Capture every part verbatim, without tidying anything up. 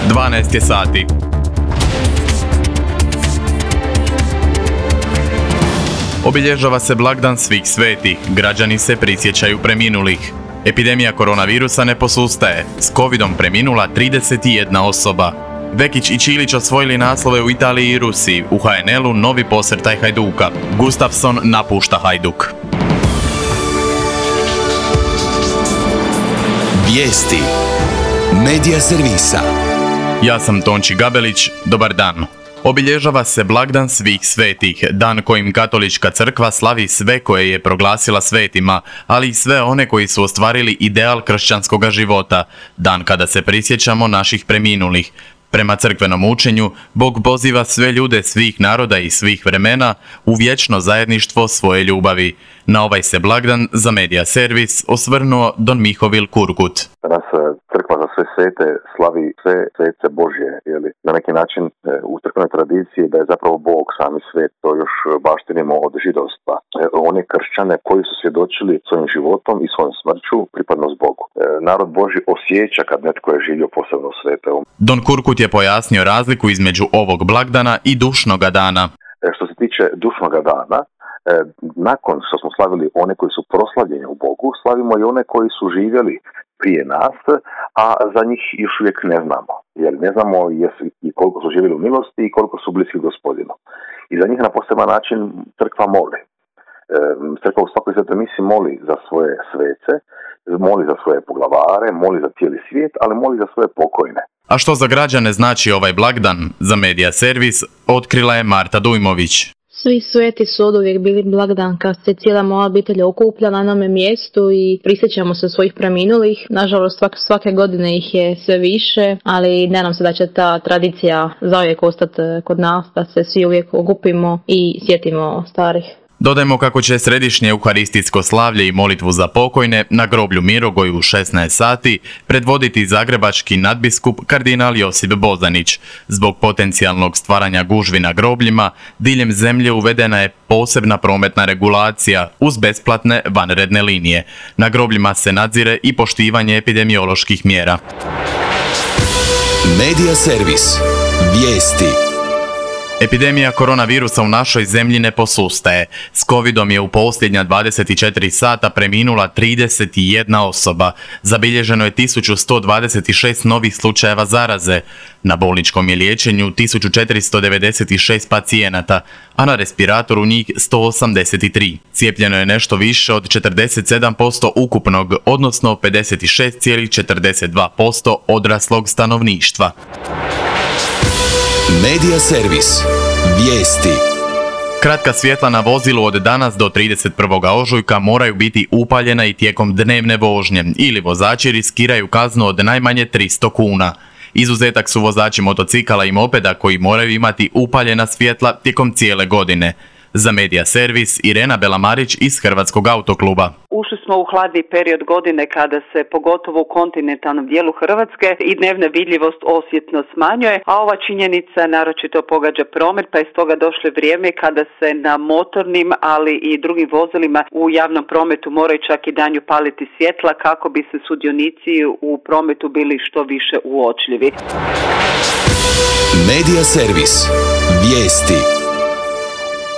dvanaest je sati. Obilježava se blagdan svih svetih, građani se prisjećaju preminulih. Epidemija koronavirusa ne posustaje, s covidom preminula trideset jedna osoba. Vekić i Čilić osvojili naslove u Italiji i Rusiji, u ha en el-u novi posrtaj Hajduka. Gustafsson napušta Hajduk. Vijesti Medija servisa. Ja sam Tonči Gabelić, dobar dan. Obilježava se blagdan svih svetih, dan kojim Katolička crkva slavi sve koje je proglasila svetima, ali i sve one koji su ostvarili ideal kršćanskoga života, dan kada se prisjećamo naših preminulih. Prema crkvenom učenju, Bog poziva sve ljude svih naroda i svih vremena u vječno zajedništvo svoje ljubavi. Na ovaj se blagdan za Medija servis osvrnuo Don Mihovil Kurgut. Danas crkva za sve svete slavi sve svece Božje, jeli? Na neki način u crkvenoj tradiciji da je zapravo Bog sami svet, to još baštinimo od židovstva. One kršćane koji su svjedočili svojim životom i svojom smrću pripadnost Bogu. Narod Božji osjeća kad netko je živio posebno svete. Don Kurgut je pojasnio razliku između ovog blagdana i dušnoga dana. Što se tiče dušnoga dana, nakon što smo slavili one koji su proslavljeni u Bogu, slavimo i one koji su živjeli prije nas, a za njih još uvijek ne znamo. Jer ne znamo jesu i koliko su živjeli u milosti i koliko su bliski Gospodinu. I za njih na poseban način crkva moli. Crkva u svakoj svetoj misi moli za svoje svece, moli za svoje poglavare, moli za cijeli svijet, ali moli za svoje pokojne. A što za građane znači ovaj blagdan? Za Medija servis otkrila je Marta Dujmović. Svi sveti su oduvijek bili blagdan kad se cijela moja obitelj okuplja na jednome mjestu i prisjećamo se svojih preminulih. Nažalost svake, svake godine ih je sve više, ali nadam se da će ta tradicija zauvijek ostati kod nas, da se svi uvijek okupimo i sjetimo starih. Dodajmo kako će središnje euharistijsko slavlje i molitvu za pokojne na groblju Mirogoju u šesnaest sati predvoditi zagrebački nadbiskup kardinal Josip Bozanić. Zbog potencijalnog stvaranja gužvi na grobljima, diljem zemlje uvedena je posebna prometna regulacija uz besplatne vanredne linije. Na grobljima se nadzire i poštivanje epidemioloških mjera. Medija servis. Vijesti. Epidemija koronavirusa u našoj zemlji ne posustaje. S covidom je u posljednja dvadeset četiri sata preminula trideset jedna osoba. Zabilježeno je tisuću sto dvadeset šest novih slučajeva zaraze. Na bolničkom je liječenju tisuću četiristo devedeset šest pacijenata, a na respiratoru njih sto osamdeset tri. Cijepljeno je nešto više od četrdeset sedam posto ukupnog, odnosno pedeset šest zarez četrdeset dva posto odraslog stanovništva. Medija servis. Vijesti. Kratka svjetla na vozilu od danas do trideset prvog ožujka moraju biti upaljena i tijekom dnevne vožnje ili vozači riskiraju kaznu od najmanje tristo kuna. Izuzetak su vozači motocikala i mopeda koji moraju imati upaljena svjetla tijekom cijele godine. Za Medija servis Irena Belamarić iz Hrvatskog autokluba. Ušli smo u hladni period godine kada se pogotovo u kontinentalnom dijelu Hrvatske i dnevna vidljivost osjetno smanjuje, a ova činjenica naročito pogađa promet, pa je stoga došlo vrijeme kada se na motornim, ali i drugim vozilima u javnom prometu moraju čak i danju paliti svjetla kako bi se sudionici u prometu bili što više uočljivi. Medija servis. Vijesti.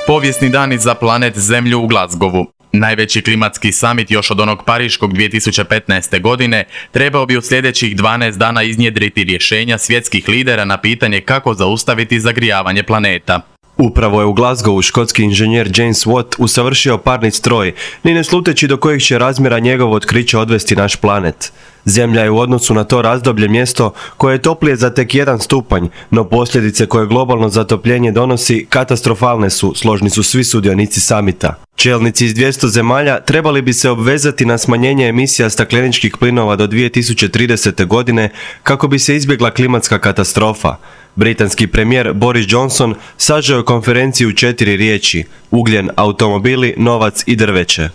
Povijesni dani za planet Zemlju u Glasgowu. Najveći klimatski samit još od onog pariškog dvije tisuće petnaeste. godine trebao bi u sljedećih dvanaest dana iznjedriti rješenja svjetskih lidera na pitanje kako zaustaviti zagrijavanje planeta. Upravo je u Glasgowu škotski inženjer James Watt usavršio parni stroj, ni ne sluteći do kojih će razmjera njegovo otkriće odvesti naš planet. Zemlja je u odnosu na to razdoblje mjesto koje je toplije za tek jedan stupanj, no posljedice koje globalno zatopljenje donosi katastrofalne su, složni su svi sudionici samita. Čelnici iz dvjesto zemalja trebali bi se obvezati na smanjenje emisija stakleničkih plinova do dvije tisuće tridesete. godine kako bi se izbjegla klimatska katastrofa. Britanski premijer Boris Johnson sažeo konferenciju u četiri riječi: ugljen, automobili, novac i drveće.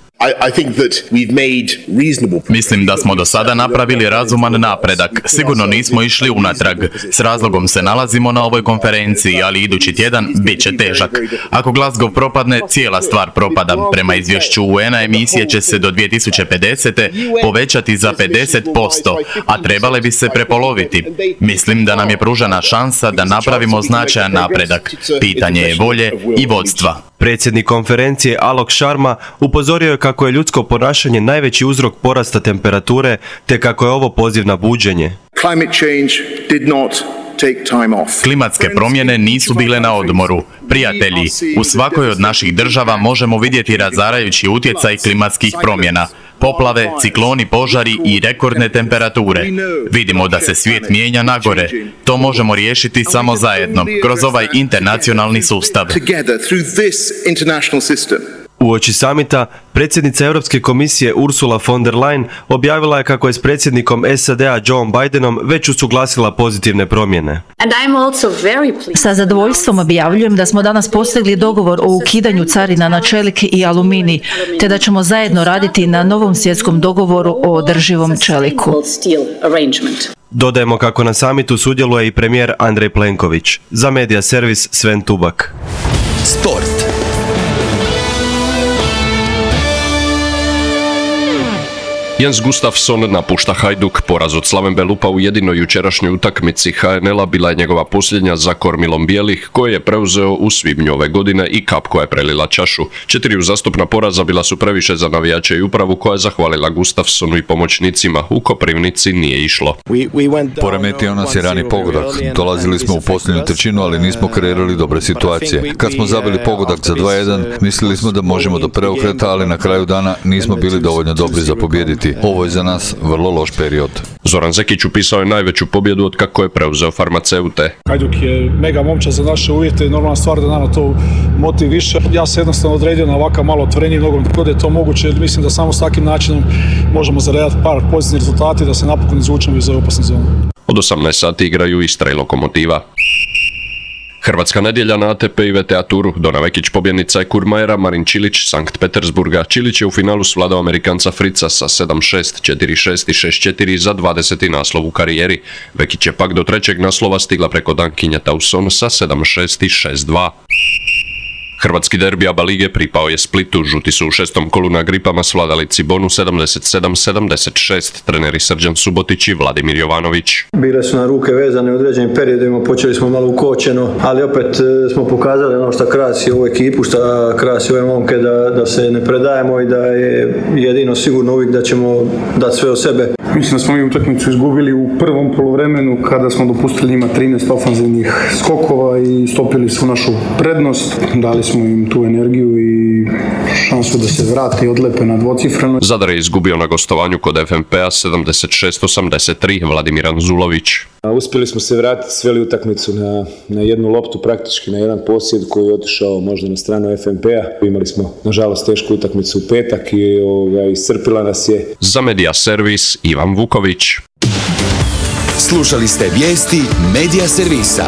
Mislim da smo do sada napravili razuman napredak. Sigurno nismo išli unatrag. S razlogom se nalazimo na ovoj konferenciji, ali idući tjedan bit će težak. Ako Glasgow propadne, cijela stvar propada. Prema izvješću U N-a emisije će se do dvije tisuće pedesete povećati za pedeset posto, a trebale bi se prepoloviti. Mislim da nam je pružena šansa da napravimo značajan napredak. Pitanje je volje i vodstva. Predsjednik konferencije Alok Sharma upozorio je kako je ljudsko ponašanje najveći uzrok porasta temperature, te kako je ovo poziv na buđenje. Klimatske promjene nisu bile na odmoru. Prijatelji, u svakoj od naših država možemo vidjeti razarajući utjecaj klimatskih promjena. Poplave, cikloni, požari i rekordne temperature. Vidimo da se svijet mijenja nagore. To možemo riješiti samo zajedno, kroz ovaj internacionalni sustav. Uoči samita, predsjednica Europske komisije Ursula von der Leyen objavila je kako je s predsjednikom S A D-a Joe Bidenom već usuglasila pozitivne promjene. Sa zadovoljstvom objavljujem da smo danas postigli dogovor o ukidanju carina na čelik i aluminij, te da ćemo zajedno raditi na novom svjetskom dogovoru o održivom čeliku. Dodajemo kako na samitu sudjeluje i premijer Andrej Plenković. Za Media Servis Sven Tubak. Sport. Jens Gustafsson napušta Hajduk. Poraz od Slaven Belupa u jedinoj jučerašnjoj utakmici H N L-a bila je njegova posljednja za kormilom bijelih, koje je preuzeo u svibnju ove godine i kap koja je prelila čašu. Četiri uzastopna poraza bila su previše za navijače i upravu, koja je zahvalila Gustafssonu i pomoćnicima. U Koprivnici nije išlo. Poremetio nas je rani pogodak. Dolazili smo u posljednju trećinu, ali nismo kreirali dobre situacije. Kad smo zabili pogodak za dva jedan, mislili smo da možemo do preokreta, ali na kraju dana nismo bili dovoljno dobri za pobijediti. Ovo je za nas vrlo loš period. Zoran Zekić upisao je najveću pobjedu od kako je preuzeo farmaceute. Hajduk je mega momčad za naše uvjete i normalna stvar da nama to motiv više. Ja se jednostavno odredio na ovakav malo otvoreniji nogomet kod je to moguće. Mislim da samo s takvim načinom možemo zaredati par pozitivnih rezultati da se napokon izvučemo iz ove opasne zone. Od osamnaest sati igraju Istra i Lokomotiva. Hrvatska nedjelja na A T P i V T A Turu. Dona Vekić pobjednica je Kurmajera, Marin Čilić Sankt Petersburga. Čilić je u finalu svladao Amerikanca Frica sa sedam šest, četiri šest i šest četiri za dvadeseti naslov u karijeri. Vekić je pak do trećeg naslova stigla preko Dankinja Tauson sa sedam šest i šest dva. Hrvatski derbi A B A lige pripao je Splitu. Žuti su u šestom kolu na gripama svladali Cibonu sedamdeset sedam sedamdeset šest. Treneri Srđan Subotić i Vladimir Jovanović. Bile su na ruke vezane u određenim periodima, počeli smo malo ukočeno, ali opet smo pokazali ono što krasi ovu ekipu, što krasi ove momke, da, da se ne predajemo i da je jedino sigurno uvijek da ćemo dati sve od sebe. Mislim da smo mi utakmicu izgubili u prvom poluvremenu kada smo dopustili njima trinaest ofanzivnih skokova i stopili su našu prednost. Dali smo im tu energiju i šansu da se vrate i odlepe na dvocifreno. Zadar je izgubio na gostovanju kod F M P-a sedamdeset šest osamdeset tri. Vladimir Anzulović. Uspjeli smo se vratiti, sveli utakmicu na, na jednu loptu, praktički na jedan posjed koji je otišao možda na stranu F M P-a. Imali smo, nažalost, tešku utakmicu u petak i ovoga, iscrpila nas je. Za Media Servis Ivan Vuković. Slušali ste vijesti Media Servisa.